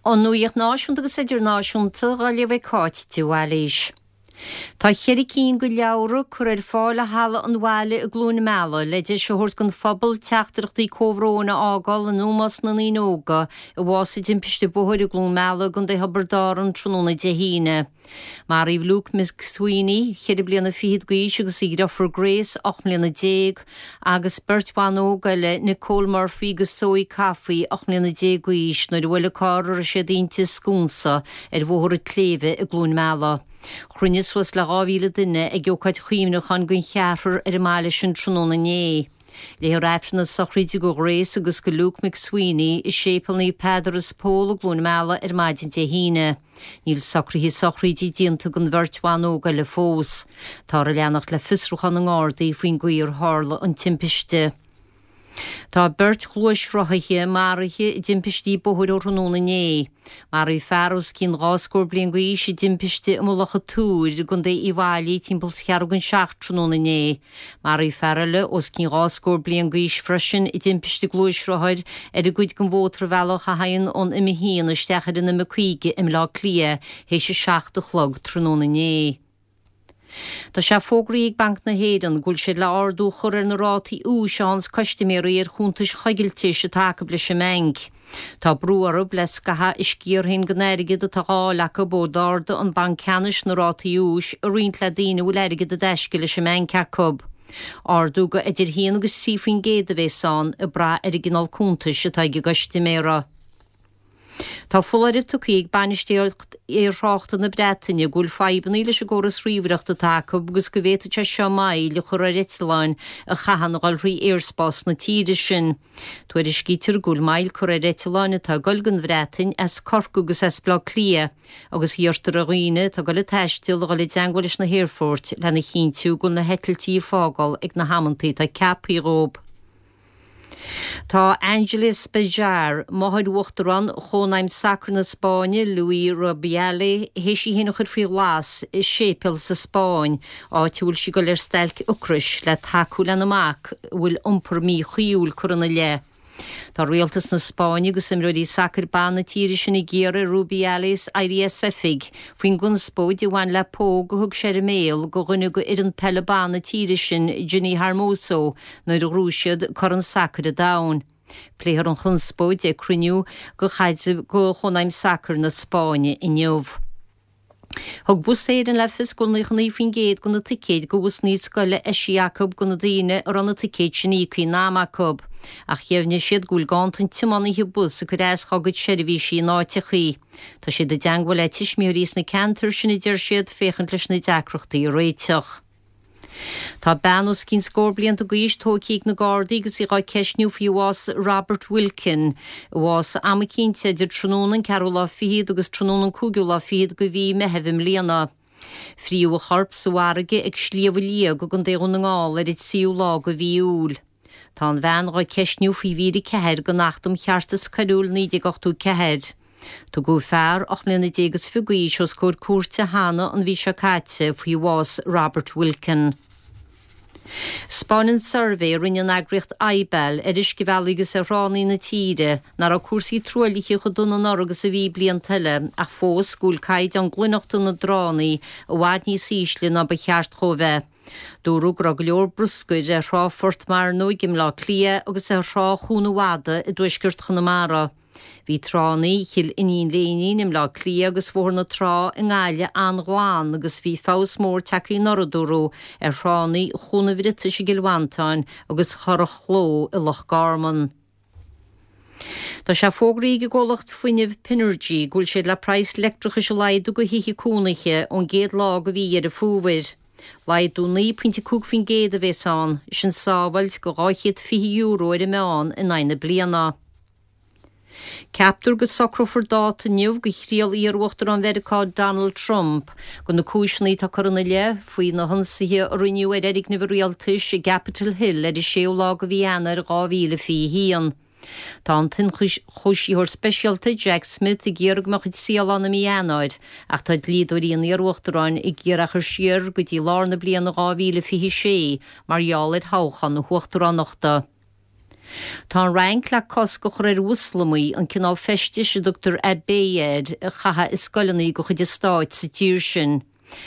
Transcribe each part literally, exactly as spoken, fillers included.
An nuacht náisiúnta agus idirnáisiúnta á léamh ag Cáit de Bhailís. Tá ceithre cinn de leabhra curtha ar fáil i halla an bhaile i gCluain Meala le deis a thabhairt don phobal teachtaireachtaí comhbhróin a fhágáil in ómós na ndaoine óga a bhásaigh i dtimpiste bóthair i gCluain Meala i gContae Thiobraid Árann tráthnóna Dé hAoine. Maraíodh Luke McSweeney, ceithre bliana fichead d'aois agus a dheirfiúr Grace, ocht mbliana déag, agus beirt bhan óg eile, Nicole Murphy agus Zoe Coffey, ocht mbliana déag d'aois, nuair a bhuail carr a raibh siad inti sconsa ar Bhóthar an tSléibhe i gCluain Meala. Chruinnigh suas le dhá mhíle duine ag ócáid chuimhneacháin don cheathrar ar an mbaile sin tráthnóna inné. Léifear Aifreann na sochraide do Grace agus do Luke McSweeney i Séipéal Naomh Peadar is Pól i gCluain Meala ar maidin Dé hAoine. Níl socruithe sochraide déanta don bheirt bhan óg eile fós. Táthar ag leanacht le fiosrúchán na nGardaí faoin gcaoi ar tharla an timpiste. Tá beirt ghluaisrothaithe maraithe i dtimpistí bóthair ó thráthnóna inné. Maraíodh fear os cionn dhá scór bliain d'aois i dtimpiste i Mullach an Túir i gContae Uíbh Fhailí timpeall is ceathrú don seacht tráthnóna inné. Maraíodh fear eile os cionn dhá scór bliain d'aois freisin i dtimpiste gluaisrothair ar an gcuid den mhótarbhealach a théann ón M a haon isteach ar an M caoga i mBleá Cliath théis a seacht a chlog tráthnóna inné. Tá sé fógraithe ag Banc na hÉireann go bhfuil siad le ardú a chur ar na rátaí úis a fhaigheanns custaiméirí ar chuntais choigiltis atá acu leis an mbanc. Tá brú orthu le scaitheamh a sciar féin den airgead atá á fháil acu ó d'ardaigh an Banc Ceannais na rátaí úis a roinnt le daoine a bhfuil airgead i dtaisce leis an mbanc acu. Ardú go idir haon agus trí faoin gcéad a bheas ann ag brath ar an gcineál cuntais atá ag an gcustaiméara. Tá foláireamh tugtha ag bainistíocht aerthráchta na Breataine go bhfuil fadhbanna leis an gcóras ríomhaireachta atá acu agus go bhféadfadh sé seo moill a chur ar eitleáin a chaitheann a dhul thrí aerspás na tíre sin. Tuairiscítear go bhfuil moill curtha ar eitleáin atá ag dul don Bhreatain as Corcaigh agus as Baile Átha Cliath agus iarrtar ar dhaoine atá ag dul ag taisteal a dhul i dteagmháil leis na haerfoirt lena chinntiú go bhfuil na heitiltí ag fágáil ag na hamanntaí atá ceaptha dhóibh. Tá Ángeles Bejar, máthair Uachtarán Chónaidhm Sacair na Spáinne, Luis Rubiales, théis í féin a chur faoi ghlas i séipéal sa Spáinn, áit a bhfuil sí ag dul ar stailc ocrais le tacú lena mac a bhfuil iompar míchuíúil curtha ina leith. Tá rialtas na Spáinne agus imreoirí sacair ban na tíre sin ag iarraidh ar Rubiales éirí as oifig faoin gconspóid a bhain le póg a thug sé ar an mbéal do dhuine d'fhoireann peile ban na tíre sin, Jenni Hermoso, nuair a ghnóthaigh siad Corn Sacair an Domhain. Pléifear an chonspóid ag cruinniú de Chónaidhm Sacair na Spáinne inniu. Thug Bus Éireann le fios go bhfuil nócha naoi faoin gcéad de na ticéid do bhusanna scoile eisithe acu do na daoine a raibh na ticéid sin íoctha in am acu. Ach dheimhnigh siad go bhfuil ganntan tiománaithe bus ag cur as dá gcuid seirbhísí in áiteachaí. Tá siad i dteagmháil le tuismitheoirí sna ceantair sin a deir siad féachaint leis na deacrachtaí a réiteach. Tá bean os cionn scór blianta d'aois tógtha ag na Gardaí agus í á ceistniú faoi bhás Robert Wilkin, a bhásaigh am eicínt idir tráthnóna an ceathrú lá fichead agus tráthnóna an cúigiú lá fichead de mhí Meitheamh i mbliana. Fríodh a chorp sa bhfarraige ag Sliabh Liag i gContae Dhún na nGall ar an tríú lá de mhí Iúil. Tá an bhean á ceistniú faoi mhír a ceathair den Acht um Cheartas Coiriúil naoi déag ochtó ceathair. Tugadh fear ocht mbliana déag is fiche d'aois os comhair cúirte cheana an mhí seo caite faoi bhás Robert Wilkin. 'Spáineann suirbhé a rinne an eagraíocht IBAL ar uiscebhealaí agus ar thránna na tíre nach raibh cúrsaí truaillithe chomh dona anuraidh agus a bhí blianta eile ach fós go bhfuil caighdeán glaineachta na dtránna i bhfad níos ísle ná ba cheart dhó bheith. Dúradh go raibh go leor bruscair ar thrá Phort Mearnóg i mBleá Cliath agus ar thrá Chuan an Mhada i dtuaisceart Chonamara. Bhí tránna Chill Iníon Léinín i mBleá Cliath agus Bhóthar na Trá i nGaillimh an-ghlan agus bhí feabhas mór tagtha anuraidh, dúradh, ar thránna Chuan an Bhriotais i gCill Mhantáin agus Churrach Chló i Loch Garman. Tá sé fógraithe ag an gcomhlacht fuinnimh Pinergy go bhfuil siad le praghas leictreachais a laghdú do thithe cónaithe ón gcéad lá de mhí Dheireadh Fómhair. Laghdú naoi pointe cúig faoin gcéad a bhéas ann, sin sábháilt de dhá chéad fiche euro ar an meán in aghaidh na bliana. Ceaptar go socrófar dáta inniu do thriail iar-Uachtarán Mheiriceá Donald Trump do na cúiseanna atá curtha ina leith faoi na hionsaithe a rinneadh ar fhoirgneamh an rialtais i gCapitol Hill ar an séú lá de mhí Eanáir dhá mhíle fiche a haon. Tá an t-ionchúisitheoir speisialta Jack Smith ag iarraidh go mbeadh an triail ann i mí Eanáir ach tá dlíodóirí an iar-uachtaráin ag iarraidh é a chur siar go dtí lár na bliana dhá mhíle fiche a sé mar gheall ar thoghchán na huachtaránachta. Tá an Fhrainc le cosc a chur ar Mhoslamaigh an cineál feistis a dtugtar abaya air a chaitheamh i scoileanna de chuid an stáit sa tír sin.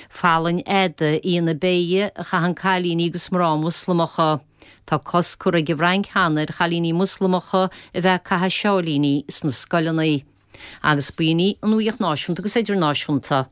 Fallaing fhada í an abaya a chaitheann cailíní agus mná Moslamacha. Tá cosc curtha ag an bhFrainc cheana ar chailíní Moslamacha a bheith ag caitheamh seáilíní sna scoileanna. Agus b'in í an nuacht náisiúnta agus idirnáisiúnta.